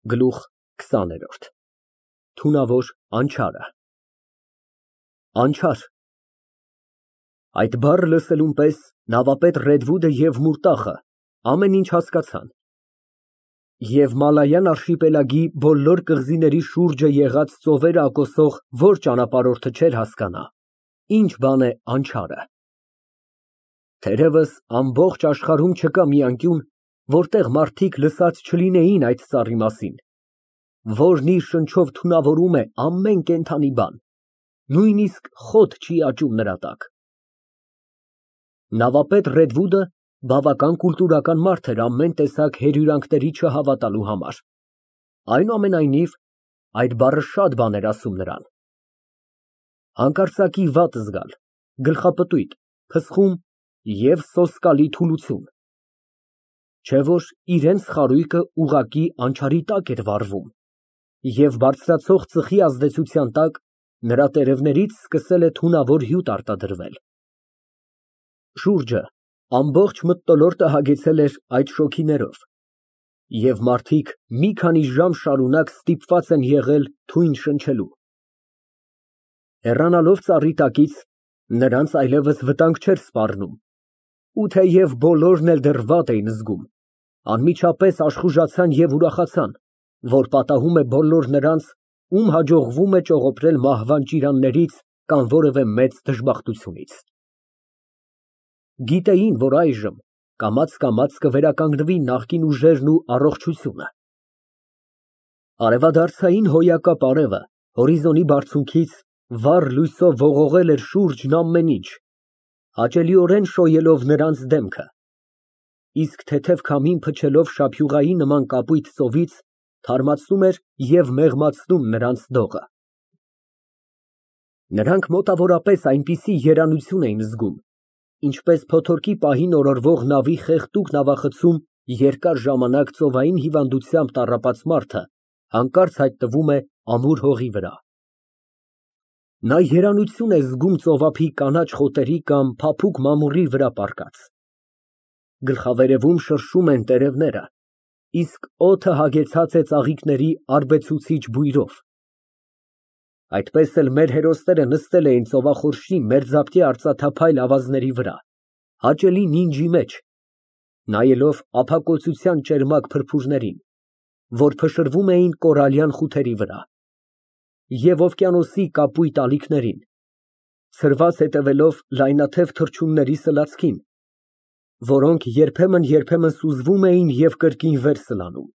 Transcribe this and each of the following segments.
Գլուխ XX Թունավոր անչարը Անչար Այդ բառը լսելուն պես նավապետ Ռեդվուդը և Մուրտախը ամեն ինչ հասկացան, և Մալայան արշիպելագի բոլոր կղզիների շուրջը եղած ծովերը ակոսող որ ճանապարհորդը չէր հասկանա, ինչ բան է անչարը։ Թերևս ամբողջ աշխարհում չկա մի անկյուն, որտեղ մարդիկ լսած չլինեին այդ ծառի մասին, որն իր շնչով թունավորում է ամեն կենդանի բան, նույնիսկ խոտ չի աճում նրա տակ։ Նավապետ Ռեդվուդը բավական կուլտուրական մարդ էր ամեն տեսակ հյուրընկալների չհավատալու համար, այնուամենայնիվ, այդ բառը շատ բան էր ասում նրան։ Հանկարծակի վատ զգալ, գլխապտույտ, փսխում և սոսկալի թուլություն, չէ՞ որ իրենց խարույկը ուղղակի անչարի տակ էր վառվում, և բարձրացող ծխի ազդեցության տակ նրա տերևներից սկսել է թունավոր հյութ արտադրվել։ Շուրջը ամբողջ մթնոլորտը հագեցել էր այդ շոգիներով, և մարդիկ մի քանի ժամ շարունակ ստիպված են եղել թույն շնչելու։ Հեռանալով ծառի տակից, նրանց այլևս վտանգ չէր սպառնում, ու թեև բոլորն էլ դեռ վատ էին զգում, անմիջապես աշխուժացան և ուրախացան, որ պատահում է բոլոր նրանց, ում հաջողվում է ճողոպրել մահվան ճիրաններից կամ որևէ մեծ դժբախտությունից։ Գիտեին, որ այժմ կամաց կվերականգնվի նախկին ուժերն ու առողջությունը։ Արևադարձային հոյակապ արևը հորիզոնի բարձունքից վառ լույսով ողողել էր շուրջն ամեն ինչ, հաճելիորեն շոյելով նրանց դեմքը, իսկ թեթև քամին փչելով շափյուղայի նման կապույտ ծովից թարմացնում էր և մեղմացնում նրանց դողը։ Նրանք մոտավորապես այնպիսի երանություն էին զգում, ինչպես փոթորկի պահին օրորվող նավի խեղդուկ նավախցում երկար ժամանակ ծովային հիվանդությամբ տառապած մարդը հանկարծ հայտնվում է ամուր հողի վրա։ Նա երանություն է զգում ծովափի կանաչ խոտերի կամ փափուկ մամուռի վրա պառկած։ Գլխավերևում շրշում են տերևները, իսկ օդը հագեցած է ծաղիկների արբեցուցիչ բույրով։ Այդպես էլ մեր հերոսները նստել էին ծովախորշի մերձափկե արծաթափայլ ավազների վրա, հաճելի նինջի մեջ, նայելով ապակոծության ճերմակ փրփուրներին, որ փշրվում էին կորալյան խութերի վրա, և օվկիանոսի կապույտ ալիքներին, ցրված հետևելով լայնաթև թռչունների սլացքին, որոնք երբեմն սուզվում էին և կրկին վեր սլանում,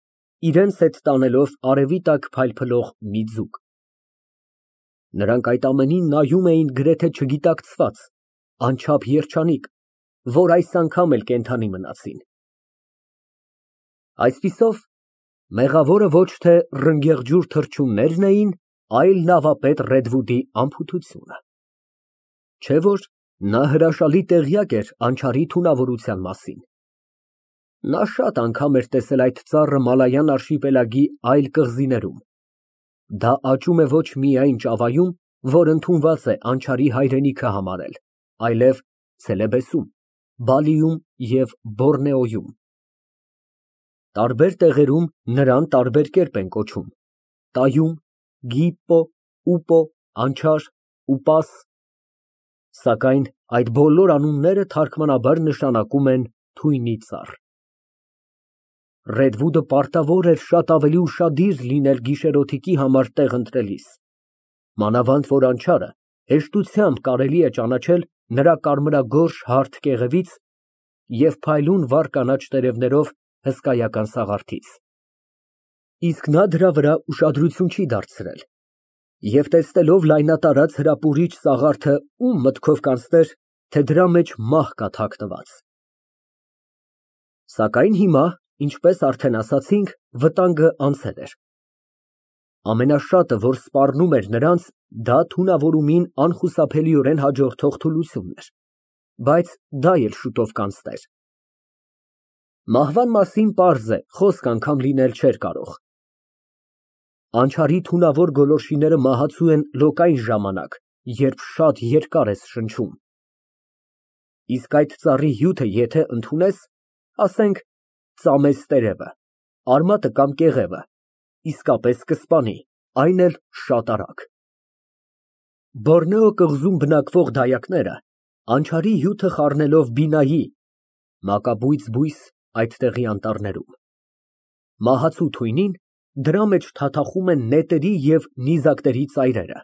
իրենց հետ տանելով արևի տակ փայլփլող մի ձուկ։ Նրանք այդ ամենին նայում էին գրեթե չգիտակցված, անչափ երջանիկ, որ այս անգամ էլ կենդանի մնացին։ Այսպիսով, մեղավորը ոչ թե ռնգեղջյուր թռչուններն էին, այլ նավապետ Ռեդվուդի անփութությունը, չէ՞ որ նա հրաշալի տեղյակ էր անչարի թունավորության մասին։ Նա շատ անգամ էր տեսել այդ ծառը Մալայան արշիպելագի այլ կղզիներում։ Դա աճում է ոչ միայն Ճավայում, որ ընդունված է անչարի հայրենիքը համարել, այլև Ցելեբեսում, Բալիում և Բորնեոյում։ Տարբեր տեղերում նրան տարբեր կերպ են կոչում. Տայում, Գիպպո, Ուպո, Անչար, Ուպաս, սակայն այդ բոլոր անունները թարգմանաբար նշանակում են թույնի ծառ։ Ռեդվուդը պարտավոր էր շատ ավելի ուշադիր լինել գիշերօթիկի համար տեղ ընտրելիս, մանավանդ որ անչարը հեշտությամբ կարելի է ճանաչել նրա կարմրագորշ հարթ կեղևից և փայլուն վառ կանաչ տերևներով հսկայական սաղարթից։ Իսկ նա դրա վրա ուշադրություն չի դարձրել և տեսնելով լայնատարած հրապուրիչ սաղարթը ում մտքով կանցներ, թե դրա մեջ մահ կա թաքնված։ Սակայն հիմա, ինչպես արդեն ասացինք, վտանգը անցել էր։ Ամենաշատը, որ սպառնում էր նրանց, դա թունավորումին անխուսափելիորեն հաջորդող թուլությունն էր, բայց դա էլ շուտով կանցներ։ Մահվան մասին պարզ է, խոսք անգամ լինել չէր կարող։ Անչարի թունավոր գոլորշիները մահացու են լոկային ժամանակ, երբ շատ երկար ես շնչում։ Իսկ այդ ծառի հյութը եթե ընդունես, ասենք, ծամես տերևը, արմատը կամ կեղևը, իսկապես կսպանի, այն էլ շատ արագ։ Բորնեո կղզում բնակվող դայակները անչարի հյութը խառնելով բինայի (մակաբույծ բույս այդտեղի անտառներում) մահացու թույնին, դրա մեջ թաթախում են նետերի և նիզակների ծայրերը։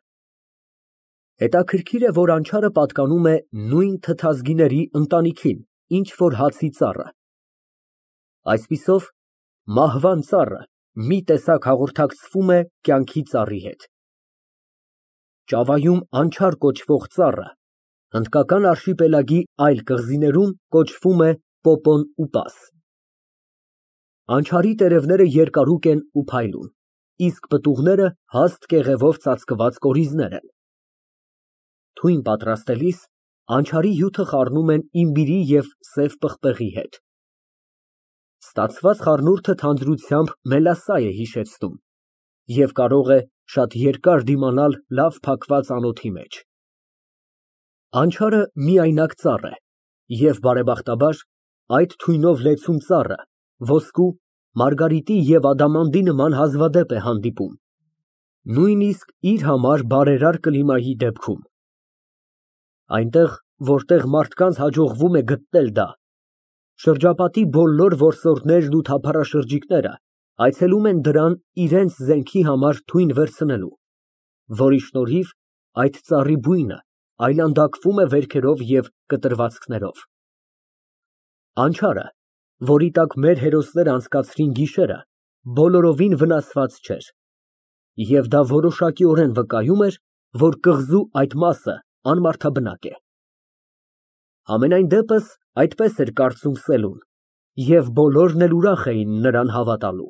Հետաքրքիր է, որ անչարը պատկանում է նույն թթազգիների ընտանիքին, ինչ որ հացի ծառը։ Այսպիսով, մահվան ծառը մի տեսակ հաղորդակցվում է կյանքի ծառի հետ։ Ճավայում անչար կոչվող ծառը հնդկական արշիպելագի այլ կղզիներում կոչվում է պոպոն ուպաս։ Անչարի տերևները երկարուկ են ու փայլուն, իսկ պտուղները հաստ կեղևով ծածկված կորիզներ են։ Թույն պատրաստելիս անչարի հյութը խառնում են իմբիրի և սև պղպեղի հետ։ Ստացված խառնուրդը թանձրությամբ մելասա է հիշեցնում և կարող է շատ երկար դիմանալ լավ փակված անոթի մեջ։ Անչարը միայնակ ծառ է և, բարեբախտաբար, այդ թույնով լեցուն ծառը ոսկու, մարգարիտի և ադամանդի նման հազվադեպ է հանդիպում, նույնիսկ իր համար բարերար կլիմայի դեպքում։ Այնտեղ, որտեղ մարդկանց հաջողվում է գտնել դա, շրջապատի բոլոր որսորդներն ու թափառաշրջիկները այցելում են դրան իրենց զենքի համար թույն վերցնելու, որի շնորհիվ այդ ծառի բույնը այլանդակվում է վերքերով և կտրվածքներով։ Անչարը, որի տակ մեր հերոսները անցկացրին գիշերը, բոլորովին վնասված չէր, և դա որոշակիորեն վկայում էր, որ կղզու այդ մասը անմարդաբնակ է։ Համենայն դեպս, այդպես էր կարծում Սելուն, և բոլորն էլ ուրախ էին նրան հավատալու։